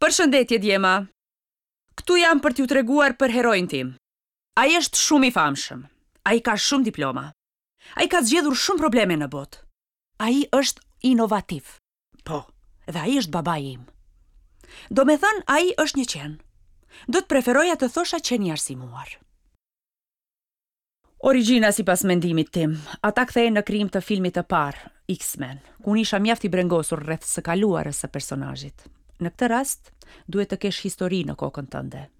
Përshëndetje djema. Këtu jam për t'ju treguar për heroin tim. Ai është shumë i famshëm. Ai ka shumë diploma. Ai ka zgjedhur shumë probleme në botë. Ai është inovativ. Po, dhe ai është babai im. Domethënë, ai është një qen. Do të preferoja të thosha qen i arsimuar. Origjina sipas mendimit tim, ata kthehen në krijim të filmit të parë, X-Men, ku unë isha mjaft i brengosur rreth së kaluarës së personazhit. Në këtë rast, duhet të kesh histori në kokën tënde.